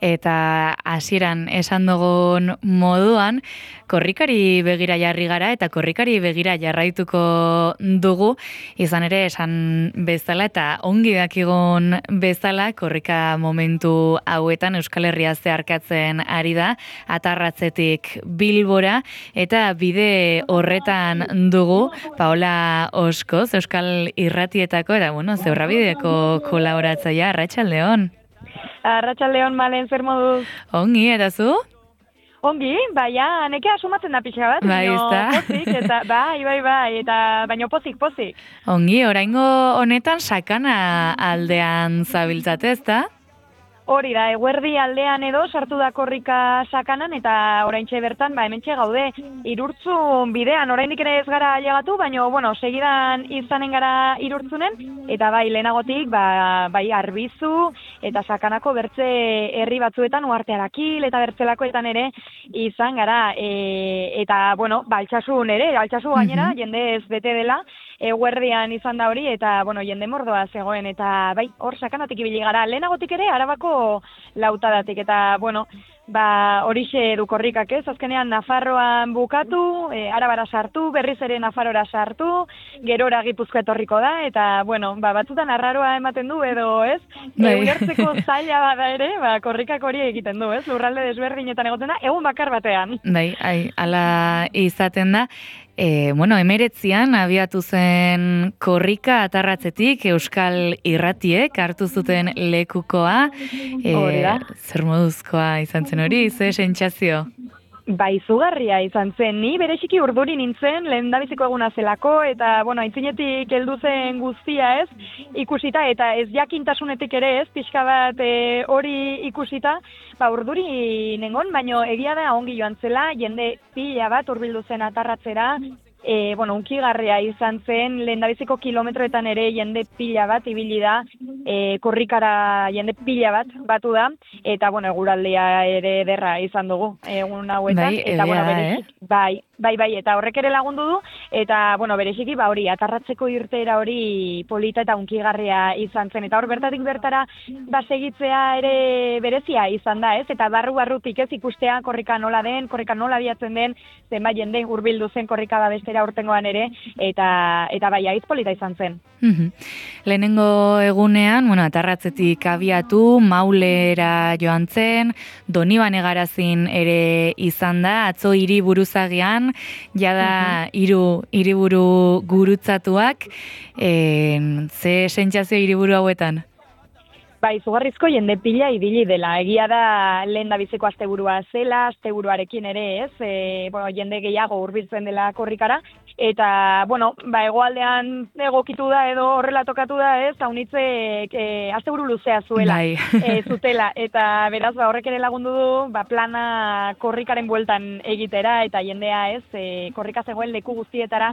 eta hasieran esan dugun moduan, korrikari begira jarri gara eta korrikari begira jarraituko dugu, izan ere esan bezala eta ongi dakigun bezala korrika momentu hauetan Euskal Herria zeharkatzen ari da, Atarratzetik Bilbora, eta bide horretan dugu Paola Oskoz, Euskal Irratietako, eta Zebrabideko kolaboratzailea, Arratsaldeon. Arratsaldeon, Malen, zer moduz? Ongi, eta zu? Ongi, baina, neke asumatzen da pixka bat, pozik, eta bai, eta baino pozik. Ongi, oraingo honetan sakana aldean zabiltzate, ezta? Hori da, eguerdi aldean edo sartu da korrika sakanan, eta oraintxe bertan, hementxe gaude, Irurtzun bidean, oraindik ere ez gara llegatu, baina, segidan izanen gara Irurtzunen, eta bai, lehenagotik, bai, Arbizu, eta sakanako bertze herri batzuetan, Uarte Arakil, eta bertzelakoetan ere, izan gara, eta, Altsasun ere, Altsasu gainera, jende ez bete dela, eguerdian izan da hori, eta, jende mordoa zegoen, eta, bai, hor sakanatik ibili gara, lehenagotik ere, Arabako lautadatik, eta, horixe du korrikak ez, azkenean Nafarroan bukatu, Arabara sartu, berriz ere Nafarrora sartu, gerora Gipuzkoa etorriko da, eta, batzutan arraroa ematen du edo, ez? Ulertzeko zaila bada ere, korrikak hori egiten du, ez? Lurralde desberdinetan egoten da, egun bakar batean. Bai, ala izaten da. 19an abiatu zen korrika Atarratzetik Euskal Irratiek hartu zuten lekukoa. Zer moduzkoa izan zen hori, ze sentsazio? Izugarria izan zen, ni bereziki urduri nintzen, lehendabiziko eguna zelako, eta, aitzinetik heldu zen guztia ez, ikusita, eta ez jakintasunetik ere ez, pixka bat hori ikusita, urduri nengon, baino egia da ongi joan zela, jende pila bat hurbildu zen Atarratzera, unkigarria izan zen, lehendabiziko kilometroetan ere jende pila bat ibili da, korrikara jende pila bat batu da, eta, eguraldia ere ederra izan dugu egun hauetan, eta, bai, eta horrek ere lagundu du, eta, bereziki, hori, Atarratzeko irteera hori polita eta unkigarria izan zen, eta hor bertatik bertara segitzea ere berezia izan da, ez? Eta barrutik ez ikustea korrika nola den, korrika nola biatzen den, zenbait jende hurbildu zen korrika babestera urtengoan ere, eta bai, aiz polita izan zen. Lehenengo egunean, Atarratzetik abiatu, Maulera joan zen, Donibane Garazin ere izan da, atzo hiriburuzagian, jada hiriburu gurutzatuak, ze sentsazio hiriburu hauetan? Izugarrizko jende pila ibili dela. Egia da lehendabiziko asteburua zela, asteburuarekin ere ez, jende gehiago hurbiltzen dela korrikara, eta, hegoaldean egokitu da edo horrela tokatu da ez, haunitzek asteburu luzea zuela, zutela, eta beraz, horrek ere lagundu du, plana korrikaren bueltan egitera, eta jendea ez, korrika zegoen leku guztietara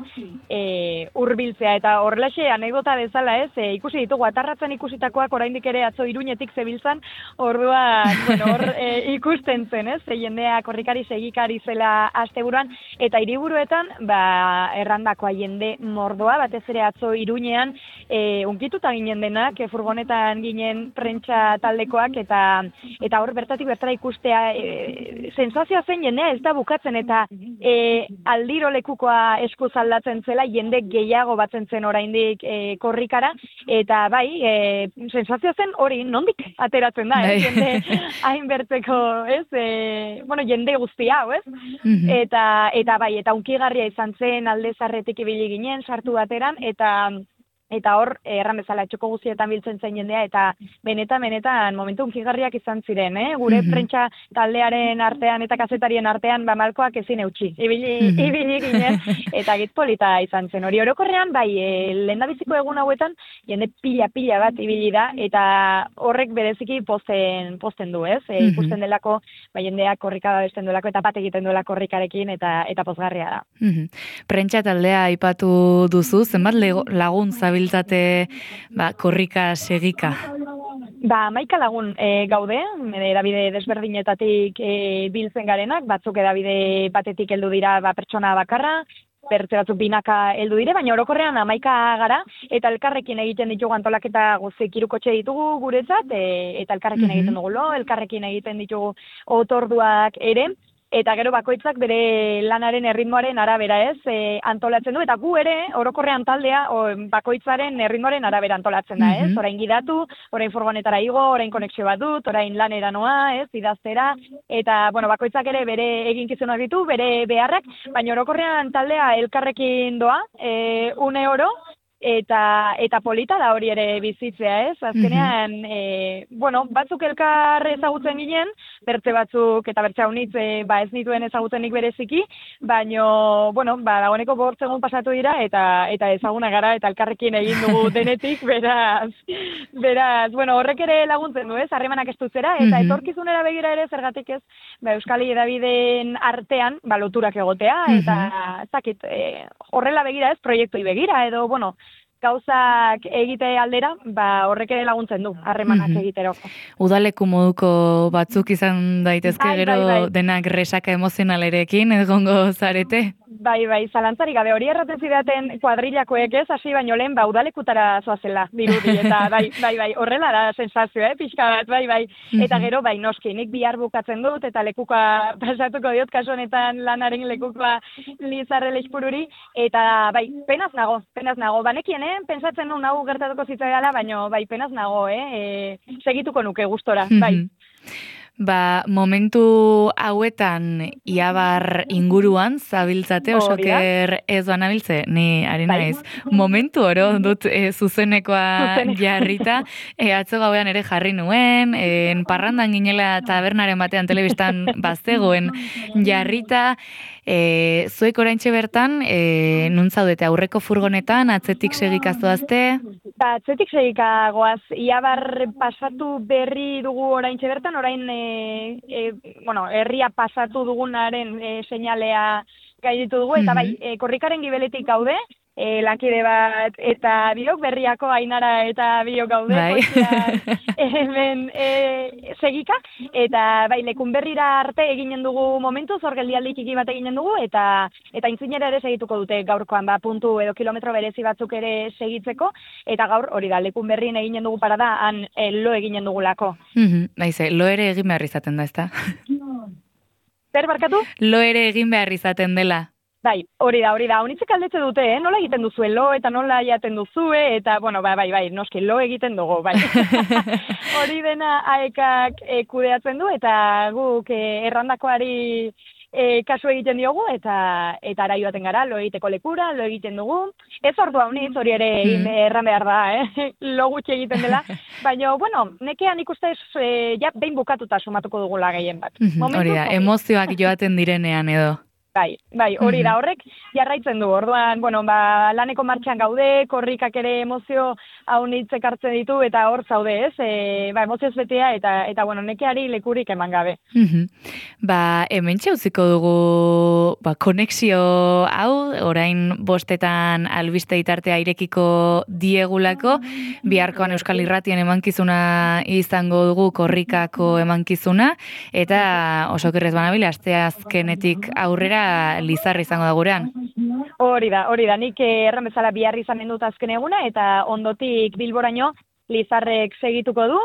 hurbiltzea, eta horrelaxe anekdota bezala ez, ikusi ditugu, Atarratzen ikusitakoak oraindik ere Iruñetik zebiltzan, orduan, hor ikusten zen, ez? Jendea korrikari segikari zela asteburuan, eta hiriburuetan, errandakoa jende mordoa, batez ere atzo Iruñean, unkituta ginen denak, furgonetan ginen prentsa taldekoak, eta hor bertatik bertara ikustea, sensazioa zen jendea ez da bukatzen, eta aldiro lekukoa eskuz aldatzen zela, jende gehiago batzen zen oraindik korrikara, eta sensazioa zen hori nondik ateratzen da, jende hainbertzeko, ez? Jende guzti hau, ez? Eta unkigarria izan zen alde zarretik ibili ginen, sartu bateran, eta hor, erran bezala, etxoko guztietan biltzen zen jendea, eta benetan, momentu unkigarriak izan ziren, gure prentsa taldearen artean eta kazetarien artean, malkoak ezin eutxi, ibili ginen, eta gitpolita izan zen. Hori orokorrean, lehendabiziko egun hauetan, jende pila bat ibili da, eta horrek bereziki posten du, ez? Ikusten delako, jendeak korrika babesten duelako, eta bat egiten duela korrikarekin, eta pozgarria da. Prentsa taldea aipatu duzu, zenbat lagun zabiltzate korrika segika? 11 lagun gaude, edabide desberdinetatik biltzen garenak, batzuk edabide batetik heldu dira pertsona bakarra, bertze batzuk binaka heldu dire, baina orokorrean 11 gara, eta elkarrekin egiten ditugu antolaketa guztiak 3 kotxe ditugu guretzat, eta elkarrekin egiten dugu elkarrekin egiten ditugu otorduak ere, eta gero bakoitzak bere lanaren erritmoaren arabera antolatzen du, eta gu ere orokorrean taldea bakoitzaren erritmoaren arabera antolatzen da, orain gidatu, orain furgonetara igo, orain konexio bat dut, orain lanera noa, idaztera, eta bakoitzak ere bere eginkizunak ditu, bere beharrak, baina orokorrean taldea elkarrekin doa, une oro, eta polita da hori ere bizitzea, azkenean, batzuk elkar ezagutzen ginen, bertze batzuk, eta bertze haunitz, ez nituen ezagutzenik bereziki, baino, dagoeneko 5 egun pasatu dira, eta ezaguna gara, eta elkarrekin egin dugu denetik, beraz, horrek ere laguntzen du, harremanak estutzera, eta etorkizunera begira ere, zergatik ez, Euskali Hedabideen artean, loturak egotea, eta, zakit, horrela begira ez, proiektoi begira, edo, gauzak egite aldera, horrek ere laguntzen du, harremanak egitero. Udaleku moduko batzuk izan daitezke gero denak resaka emozionalerekin egongo zarete? Bai, zalantzarik gabe, hori erraten zidaten kuadrilakoek hasi baino lehen, udalekutara zoazela, dirudi, eta bai, horrela da sensazio, pixka bat, bai. Eta gero, noski, nik bihar bukatzen dut, eta lekuka pasatuko diot, kasu honetan lanaren lekukoa Lizarre Leixpururi, eta penaz nago, banekien, pentsatzen nun hau gertatuko zitzaidala, baino, penaz nago, segituko nuke gustora, bai. Momentu hauetan Iabar inguruan zabiltzate, osoker ez banabiltze, ni ari naiz. Momentu oro dut zuzenekoa jarrita, atzo gauean ere jarri nuen, parrandan ginela tabernaren batean telebistan bazegoen jarrita, zuek oraintxe bertan, nun zaudete aurreko furgonetan, atzetik segikazoazte? Atzetik segikagoaz, Iabar pasatu berri dugu oraintxe bertan, orain herria pasatu dugunaren seinalea gaiditu dugu, eta korrikaren gibeletik gaude, lankide bat, eta biok berriako Ainara eta biok gaude, hemen segika, eta lekun berrira arte eginen dugu momentu, zor geldialdi txiki bat eginen dugu, eta intzinera ere segituko dute gaurkoan, puntu edo kilometro berezi batzuk ere segitzeko, eta gaur hori da, lekun berrien eginen dugu parada, han lo eginen dugulako. Lo ere egin behar izaten da, ezta? Zer barkatu? Lo ere egin behar izaten dela. Bai, hori da, honitzek aldetze dute, nola egiten duzue lo, eta nola jaten duzue, eta, noski, lo egiten dugu, bai. Hori dena aekak kudeatzen du, eta guk errandakoari kasu egiten diogu, eta ara joaten gara, lo egiteko lekura, lo egiten dugu. Ez ordu haunitz, hori ere erran behar da, lo gutxi egiten dela. Baina, nekean ikuste behin bukatuta sumatuko dugula gehien bat. Hori da, emozioak joaten direnean edo. Bai, hori da, horrek jarraitzen du, orduan, laneko martxan gaude, korrikak ere emozio haunitzek hartzen ditu, eta hor zaude, emozioz betea, eta nekeari lekurik eman gabe. Hemen txauziko dugu, konexio hau, orain 5 albiste itartea irekiko diegulako, biharkoan Euskal Irratien emankizuna izango dugu korrikako emankizuna, eta oso kerrez banabile, asteazkenetik aurrera Lizarre izango da gurean. Hori da, nik erran bezala bihar izanen dut azken eguna, eta ondotik Bilboraino Lizarrek segituko du,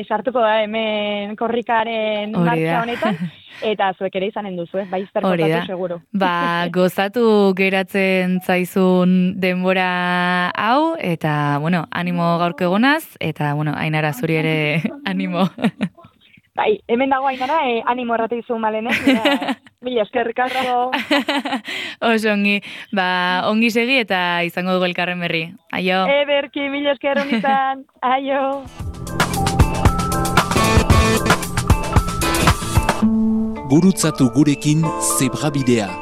sartuko da hemen korrikaren martxa honetan, eta zuek ere izanen duzu, zerkotatu seguru. Gozatu geratzen zaizun denbora hau, eta, animo gaurko egonaz, eta, Ainara zuri ere animo. Hemen dago Ainara, animo errate izu malenek, mila eskerrik asko. Oso ongi, ongi segi eta izango dugu elkarren berri. Aio. Ederki, mila esker honetan. Aio. Gurutzatu gurekin Zebrabidea.